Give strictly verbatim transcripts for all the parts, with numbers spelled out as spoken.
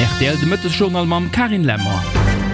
Rtl de Mëttesjournal mam Carine Lemmer.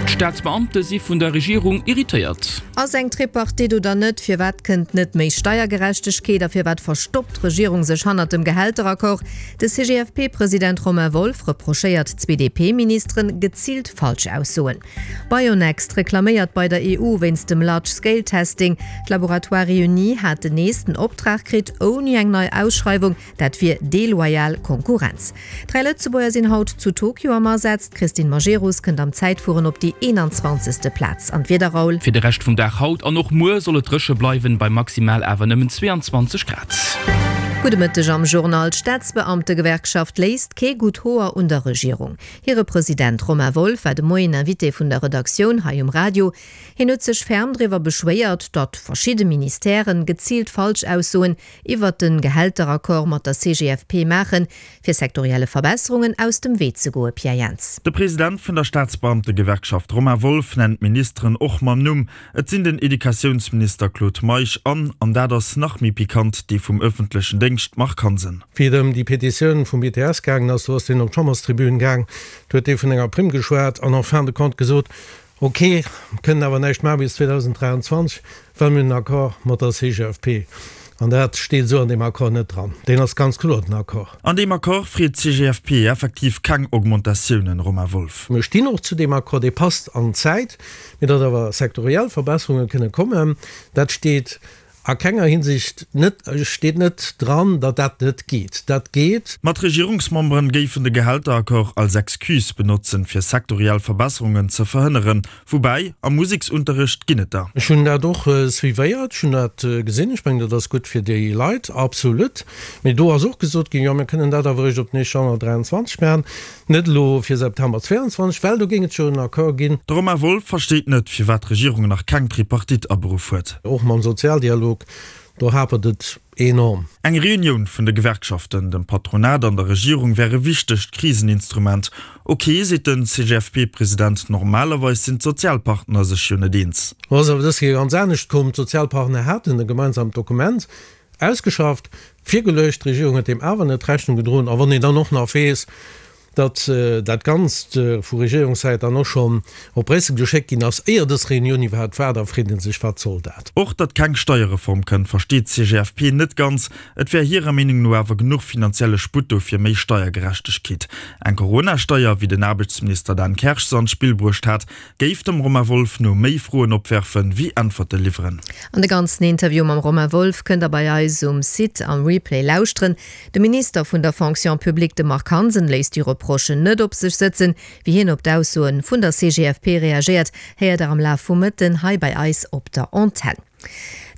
D'Staatsbeamte si vun der Regierung irritéiert. Ass eng Tripartite oder net? Firwat kënnt net méi Steiergerechtegkeet a firwat verstoppt d'Regierung sech hannert dem Gehälteraccord? De C G F P-President Romain Wolff reprochéiert zwee D P-Ministeren geziilt Falschaussoen. Bionext reklaméiert bei der E U wéinst dem Large-Scale-Testing. D'Laboratoires Réunis hat den nächsten Optrag kritt ouni eng nei Ausschreiwung, dat wier deloyal Konkurrenz. Dräi Lëtzebuerger sinn haut zu Tokio am Asaz. D'Christine Majerus kënnt am Zäitfueren op déi eenanzwanzegste. Plaz. An d'Wieder, Raoul? Fir de Rescht vum Dag haut an och muer soll et dréche bleiwen, bei maximal awer nëmmen zwéianzwanzeg Grad. Gudde Mëtteg am Journal. D'Staatsbeamtegewerkschaft léisst kee gutt Hoer un der Regierung. Hire President Romain Wolff war de Moien Invité vun der Redaktioun hei um Radio. Hien huet sech ferm driwwer beschwéiert, datt verschidde Ministèren geziilt Falschaussoen iwwert den Gehälteraccord mat der C G F P maachen, fir sektorielle Verbesserungen aus dem Wee ze goen. Pierre Jans. De President vun der Staatsbeamtegewerkschaft Romain Wolff nennt d'Ministeren och mam Numm. Et sinn den Educatiounsminister Claude Meisch an, an dat ass nach méi pikant, dee vum ëffentlechen Déngscht Marc Hansen. Wéi et ëm déi Petitioun vum B T S gaangen ass, do ass deen op d'Chamberstribün gaang, do huet dee vun enger Primm geschwat an en fin de compte gesot, ok, kënnen awer näischt maache bis zweedausend dräianzwanzeg, well mir hunn en Accord mat der C G F P. An dat steet esou an deem Accord net dran. Deen ass ganz kloer, den Accord. An deem Accord freet d'C G F P effektiv keng Augmentatiounen, Romain Wolff. Mir stinn och zu deem Accord, dee passt an d'Zäit, mee datt awer sektoriell Verbesserunge kënne kommen, dat steet a kenger Hinsicht net, steet net dran, datt dat net geet. Dat geet. Ma d'Regierungsmemberen géifen de Gehälteraccord als Excuse benotzen, fir sektoriell Verbesserungen ze verhënneren. Woubäi, am Museksunterricht ginn et der. Ech hunn dat och suivéiert, ech hunn dat gesinn. Ech mengen, dat ass gutt fir déi Leit, absolut. Mee do ass och gesot ginn, jo, mir kënnen dat awer eréischt op den éischte Januar dräianzwanzeg maachen, net elo fir September zwéianzwanzeg, well do géing et jo en Accord ginn. De Romain Wolff versteet net, firwat d'Regierung nach keng Tripartite aberuff huet. Och mam Sozialdialog, do hapert et enorm. Eng Reunioun vun de Gewerkschaften, dem Patronat an der Regierung wär e wichtegt Kriseninstrument. Ok, seet den C G F P-President, normalerweis sinn d'Sozialpartner sech jo net eens. Lo ass awer dës Kéier ganz anescht komm. D'Sozialpartner haten e gemeinsamt Dokument ausgeschafft, virgeluecht, d'Regierung huet deem awer net Rechnung gedroen. A wann een dann och nach weess, datt dat Ganzt vu Regierungssäit dann och schonn op Bréissel geschéckt ginn ass, éier dës Reunioun iwwerhaapt war, da freet ee sech, Wat soll dat? Och datt keng Steierreform kënnt, versteet d'C G F P net ganz. Et wär hirer Meenung no awer genuch finanzielle Sputt do fir méi Steiergerechtegkeet. Eng Corona-Steier, wéi den Aarbechtsminister Dan Kersch se an d'Spill bruecht hat, géif dem Romain Wolff no méi Froen opwerfen, wéi Äntwerte liwweren. An de ganzen Interview mam Romain Wolff kënnt der bei eis um Site am Replay lauschteren. De Minister vun der Fonction publique, de Marc Hansen, léisst déi Reprochen net op sech sëtzen. Wéi hien op d'Aussoen vun der C G F P reagéiert, héiert der am Laf vum Mëtten hei bei eis op der Antenn.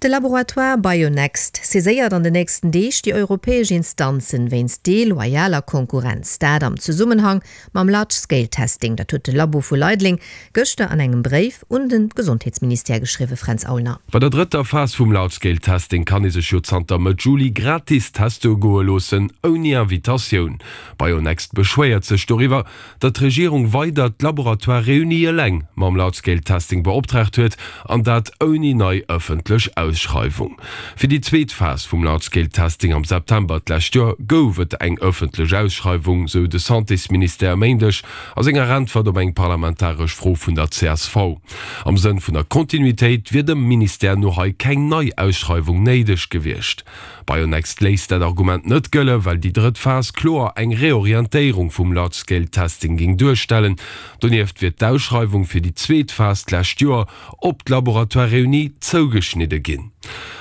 De Laboratoire Bionext saiséiert an den nächsten Deeg déi europäesch Instanzen wéinst deloyaler Konkurrenz. Dat am Zesummenhang mam Large-Scale-Testing. Dat huet de Labo vu Leideleng gëschter an engem Bréif un de Gesondheetsministère geschriwwen, Fränz Aulner. Bei der drëtter Phas vum Large-Scale-Testing kann ee sech jo zanter Mëtt Juli gratis teste goe loossen, ouni Invitatioun. Bionext beschwéiert sech doriwwer, datt d'Regierung weider d'Laboratoires Réunis eleng mam Large-Scale-Testing beoptraagt huet an dat ouni nei ëffentlech Ausschreiwung. Fir déi zweet Phas vum Large-Scale-Testing am September d'lescht Joer gouf et eng ëffentlech Ausschreiwung, sou de Santésministère e Méindeg a senger Äntwert op eng parlamentaresch Fro vun der C S V. Am Sënn vun der Kontinuitéit wier dem Ministère no hei keng nei Ausschreiwung néideg gewiescht. Bionext léisst dat Argument net gëllen, well déi drëtt Phas kloer eng Reorientéierung vum Large-Scale-Testing géing duerstellen. Donieft wier d'Ausschreiwung fir déi zweet Phas d'lescht Joer op d'Laboratoires Réunis zougeschnidde ginn.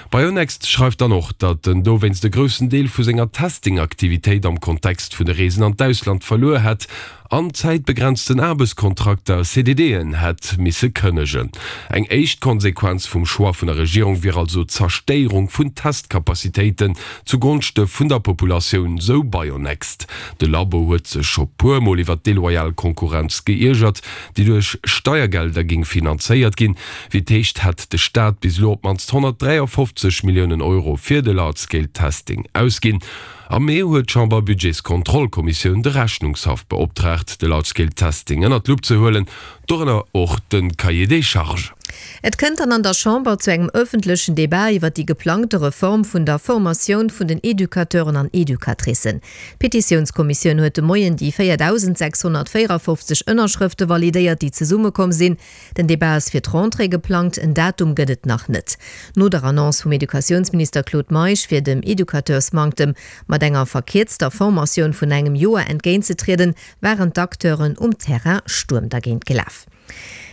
Bionext schreift dann och, datt en dowéinst e groussen Deel vu senger Testing-Aktivitéit am Kontext vun de Reesen an d'Ausland verluer hätt an zäitbegrenzten Aarbechtskontrakter, C D Dën, hätt misse kënnegen. Eng éischt Konsequenz vum Choix vun der Regierung wier also d'Zerstéierung vun Testkapazitéiten zugonschte vun der Populatioun, sou Bionext. De Labo huet sech scho puermol iwwer deloyal Konkurrenz geiergert, déi duerch Steiergelder géing finanzéiert ginn. Wéi et heescht, hätt de Staat bis elo op d'mannst honnertdräiafofzeg Milliounen Euro fir de Large-Scale-Testing ausginn. Am Mee huet d'Chamber-Budgetskontrollkommissioun de Rechnungshaff beoptraagt, de Large Scale Testing ënnert d'Lupp ze huelen, dorënner och de Cahier des charges. Et kënnt dann an der Chamber zu engem ëffentlechen Debat iwwer déi geplangte Reform vun der Formatioun vun den Educateuren an Educatricen. D'Petitiounskommissioun huet de Moien déi véierdausendséchshonnertvéierafofzeg Ënnerschrëfte validéiert, déi zesummekomm sinn. Den Debat ass fir d'Rentrée geplangt, en Datum gëtt et nach net. No der Annonce vum Educatiounsminister Claude Meisch, fir dem Educateursmanktem mat enger verkierzter Formatioun vun engem Joer entgéintzetrieden, waren d'Acteuren um Terrain Stuerm dergéint gelaf.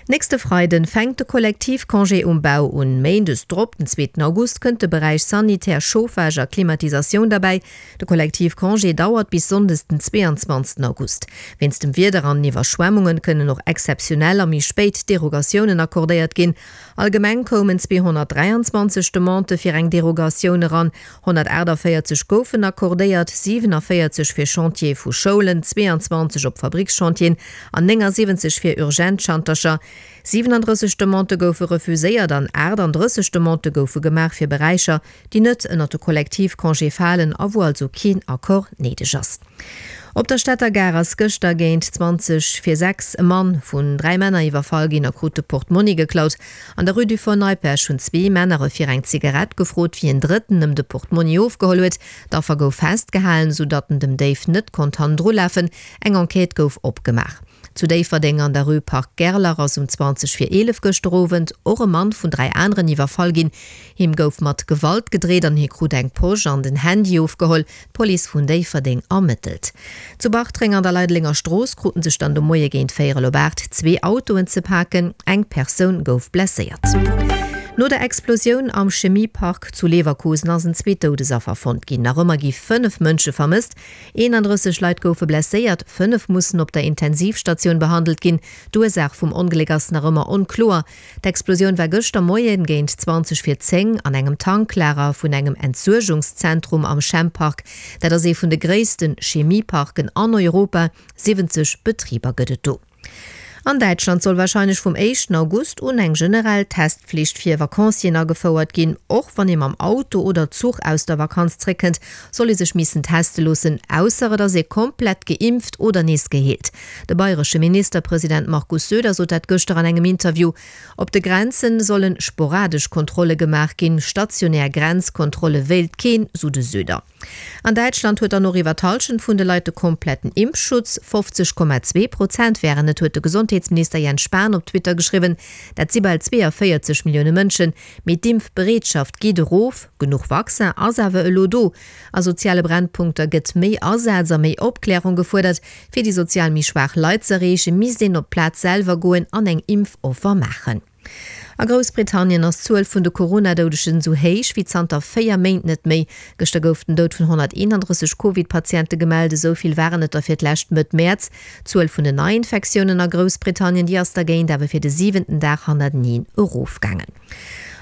Nächste Freiden fänkt de Kollektivcongé um Bau un. Méindes drop, den zweeten August, kënnt de Beräich Sanitär, Chauffage a Klimatisatioun derbäi. De Kollektivcongé dauert bis sonndes den zweeanzwanzegsten August. Wéinst dem Wieder an Iwwerschwemmungen kënnen och exzeptionell a méi spéit Derogatiounen accordéiert ginn. Allgemeng koumen zweehonnertdräianzwanzeg Demandë fir eng Derogatioun eran, honnertaachtavéierzeg goufen accordéiert, siwenavéierzeg fir Chantiere vu Schoulen, zweeanzwanzeg op Fabrickschantieren an néngasiwwenzeg fir urgent Schantercher. Siwenandrësseg Demandë goufe refuséiert an aachtandrësseg Demandë goufe gemaach fir Beräicher, déi net ënnert de Kollektivcongé falen a wou also keen Accord néideg ass. Op der Stater Gare ass gëschter géint zwanzeg vir sechs e Mann vun dräi Männer iwwerfall ginn a krut de Portmonni geklaut. An der Rue du Fort Neipperg hunn zwee Männer e fir eng Zigarett gefrot, wéi en Drëtten ëm de Portmonni ofgeholl huet. D'Affer gouf festgehalen, sou datt en dem Déif net konnt hannendru lafen. Eng Enquête gouf opgemaach. Zu Déifferdeng an der Rue Parc Gerlach ass um zwanzeg vir eelef gëschter Owend och e Mann vun dräi aneren iwwerfall ginn. Him gouf mat Gewalt gedreet an hie krut eng Posch an den Handy ofgeholl. D'Police vun Déifferdeng ermëttelt. Zu Bartreng an der Leidelenger Strooss kruten sech dann de Moie géint véierel op aacht zwee Autoen ze paken. Eng Persoun gouf blesséiert. No der Explosioun am Chemiepark zu Leverkusen ass en zweet Doudesaffer fonnt ginn. Nach ëmmer gi fënnef Mënsche vermësst. eenandrësseg Leit goufe blesséiert, fënnef mussen op der Intensivstatioun behandelt ginn. D'Ursaach vum Ongléck ass nach ëmmer onkloer. D'Explosioun war gëschter Moien géint zwanzeg vir zéng an engem Tanklager vun engem Entsuergungszentrum am Chempark. Dat ass ee vun de gréisste Chemieparken an Europa, siwwenzeg Betriber gëtt et do. An Däitschland soll warscheinlech vum éischten August un eng generell Testflicht fir Vacancieren agefouert ginn. Och wann ee mam Auto oder Zuch aus der Vakanz zréckkënnt, soll ee sech missen teste loossen, ausser et ass ee komplett geimpft oder nees geheelt. De bayresche Ministerpresident Markus Söder sot dat gëschter an engem Interview. Op de Grenze solle sporadesch Kontrolle gemaach ginn, stationär Grenzkontrolle wéilt keen, sou de Söder. An Däitschland huet dann och iwwer d'Hallschent vun de Leit de kompletten Impfschutz, fofzeg Komma zwee Prozent wären et, huet de Gesondheetsminister Jens Spahn op Twitter geschriwwen. Dat si bal zweeënvéierzeg Millioune Mënschen. Mee d'Impfbereetschaft geet erof, genuch Vaccin ass awer elo do. A soziale Brennpunkter gëtt méi Asaz a méi Opklärung gefuerdert. Fir déi sozial méi schwaach Leit z'erreechen, misst een op d'Plaz selwer goen an eng Impfoffer maachen. A Groussbritannien ass d'Zuel vun de Corona-Doudegen esou héich wéi zanter véier Méint net méi. Gëschter gouf den Doud vun honnerteenandrësseg Covid-Patiente gemellt, esou vill waren et der fir d'lescht Mëtt Mäerz. D'Zuel vun den Neiinfektiounen a Groussbritannien, déi ass dergéint awer fir de siwenten Dag hannerteneen erofgaangen.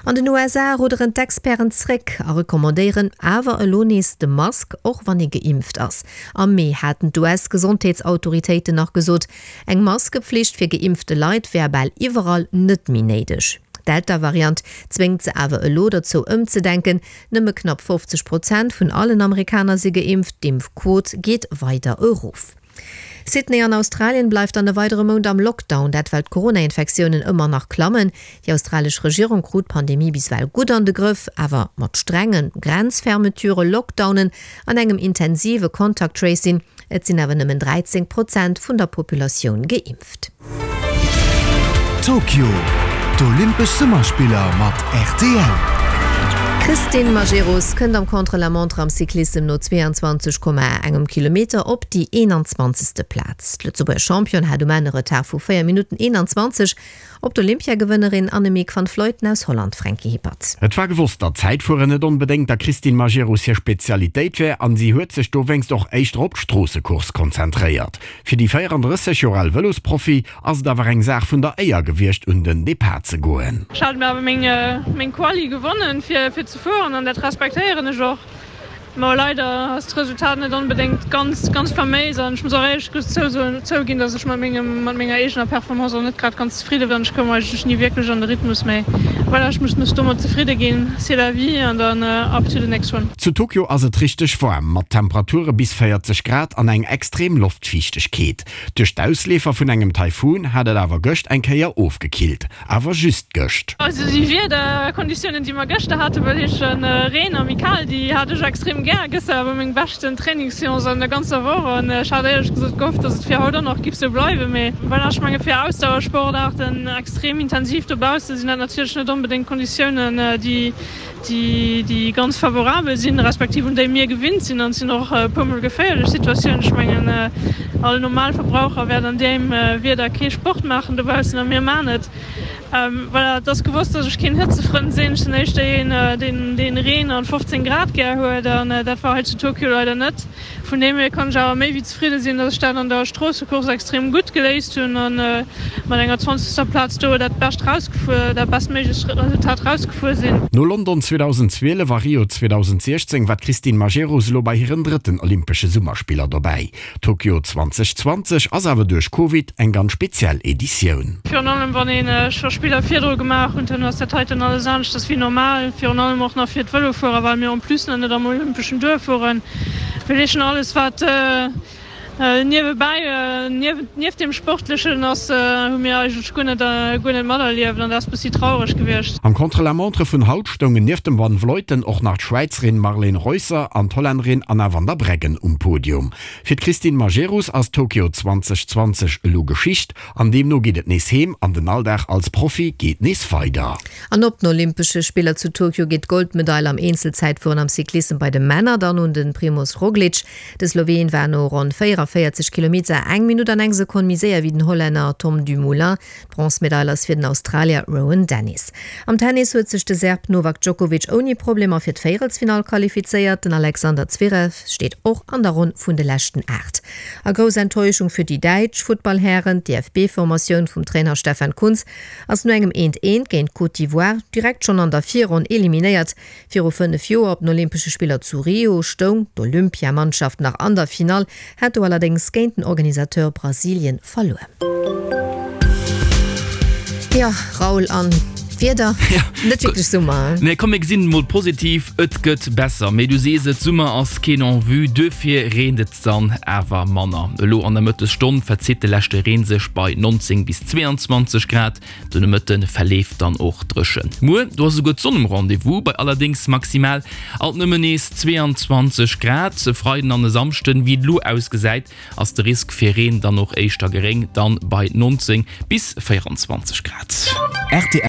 An den U S A rudderen d'Experten zréck a recommandéieren awer elo nees de Mask, och wann ee geimpft ass. Am Mee haten d'U S-Gesondheetsautoritéiten nach gesot, eng Maskepflicht fir geimpfte Leit wär bal iwwerall net méi néideg. D'Delta-Variant zwéngt se awer elo dozou ëmzedenken. Nëmme knapp fofzeg Prozent vun allen Amerikaner si geimpft, d'Impfquot geet weider erof. Sydney an Australien bleift dann e weidere Mount am Lockdown, dat well d'Corona-Infektiounen ëmmer nach klammen. Déi australesch Regierung krut d'Pandemie bis ewell gutt an de Grëff, awer mat strenge Grenzfermeturen, Lockdownen an engem intensive Contact Tracing. Et sinn awer nëmmen dräizéng Prozent vun der Populatioun geimpft. Tokio, D'Olympesch Summerspiller mat R T L. D'Christine Majerus kënnt am Contre-la-montre am Cyclissem no zweeanzwanzeg Komma engem Kilometer op déi eenanzwanzegste Plaz. D'Lëtzebuerger Championne hat um Enn e Retard vu véier Minutten eenanzwanzeg op d'Olympiagewënnerin Annemiek van Vleuten aus Holland, Franky Hippert. Et war gewosst, datt Zäitfueren net onbedéngt der Christine Majerus hir Spezialitéit wär an si huet sech dowéinst och éischter op d'Stroossecourse konzentréiert. Fir déi véierandrësseg Joer al Vëlosprofi ass et awer eng Saach vun der Éier gewiescht un den Depart ze goen. Ech hat mir awer meng meng Quali gewonnen fir fir ze fueren an dat respektéieren ech och. Ma leider ass d'Resultat net onbedéngt ganz ganz faméis an ech muss och éierlech zousoen zouginn, dass ech mat mengem mat menger eegener Performance och net grad ganz zefridde war. Ech koum eigentlech ni wierklech an de Rhythmus, mee voilà, ech muss mech domat zefridde ginn, c'est la vie an dann up to the next one. Zu Tokio ass et richteg waarm, mat Temperature bis véierzeg Grad an eng extrem Loftfiichtegkeet. Duerch d'Ausleefer vun engem Taifun hat et awer gëscht eng Kéier ofgekillt, awer just gëscht. Also déi Wiederkonditiounen, déi mer gëschter haten, wëll heeschen Reen a méi kal, déi hat ech extrem gär. Gëschter war meng beschten Trainingsseance an der ganzer Woch an ech hat éierlech gesot gehofft, dass et fir haut och nach giff sou bleiwen. Mee voilà, ech menge fir Ausdauersportaarten extrem intensiv dobausse sinn dat natierlech net onbedéngt Konditiounen, déi déi ganz favorabel sinn, respektiv un déi mir gewinnt sinn. An et sinn och e puermol geféierlech Situatiounen. Ech mengen, all normal Verbraucher wäert an deem Wieder kee Sport maachen dobaussen a mir maachen et. Voilà, et ass gewosst, datt ech keen Hëtzefrënd sinn. Ech sinn éischter een, deen deen Reen an fofzéng Grad gär huet an dat war hei zu Tokio leider net. Vun deem hier kann ech awer méi wéi zefridde sinn, datt ech dat an der Stroossecourse extrem gutt geléist hunn an mat enger zwanzegster Plaz do dat bescht rausgefuer, dat bestméiglechst Resultat rausgefuer sinn. No London zweedausendzwielef a Rio zweedausendsechzéng war d'Christine Majerus elo bei hiren drëtten Olympesche Summerspiller dobäi. Tokio zweedausendzwanzeg ass awer duerch Covid eng ganz speziell Editioun. Virun allem wann ee scho Spiller virdru gemaach hunn, dann ass dat heiten alles aneschters wéi normal. Virun allem och nach fir d'Vëlofuerer, well mir en plus nach net am olympeschen Duerf fueren. Well echen alles wat niewebäi, nieft deem Sportlechen ass, hu mir eigentlech guer net, guer net materlieft an dat ass bëssi traureg gewiescht. Am Contre-la-montre vun haut stoungen nieft dem Van Vleuten och nach d'Schwäizerin Marlene Reusser an d'Hollännerin Anna van der Breggen um Podium. Fir d'Christine Majerus ass Tokio zweedausendzwanzeg elo Geschicht an deemno geet et nees heem an den Alldag als Profi geet nees weider. An op den Olympesche Spiller zu Tokio geet d'Goldmedail am Eenzelzäitfueren am Cyclissem bei de Männer dann un de Primoz Roglic. De Sloween war no ronn véierunvéierzeg Kilometer eng Minutt an eng Sekonn méi séier wéi den Hollänner Tom Dumoulin. D'Bronzmedail ass fir den Australier Rohan Dennis. Am Tennis huet sech de Serb Novak Djokovic ouni Problemer fir d'Véierelsfinall qualifizéiert. Den Alexander Zverev steet och an der Ronn vun de leschten Aacht. A grouss Enttäuschung fir déi däitsch Futtballhären, D'DFB-Formatioun vum Trainer Stefan Kuntz ass no engem Eent-Eent géint d'Côte d'Ivoire direkt schonn an der Virronn eliminéiert. Viru fënnef Joer op den Olympesche Spiller zu Rio stoung d'Olympiamannschaft nach an der Finall, hat do allerdéngs géint den Organisateur Brasilien verluer. Jo, Raoul, an d'Wieder? Net wierklech Summer, hein? Nee, komm mir gesinn et mol positiv, et gëtt besser. Mee du sees et, Summer ass keen en vue, duerfir reent et dann awer manner. Elo an der Mëttesstonn verzitt de leschte Reen sech bei neunzéng bis zweeanzwanzeg Grad. De Nomëtte verleeft dann och dréchen. Muer, do ass esouguer d'Sonn um Rendez-vous, bei allerdéngs maximal alt nëmmen nees zweeanzwanzeg Grad. E Freiden an e Samschden, wéi et elo ausgesäit, ass de Risk fir Reen dann och éischter geréng, dann bei neunzéng bis véieranzwanzeg Grad. Rtl.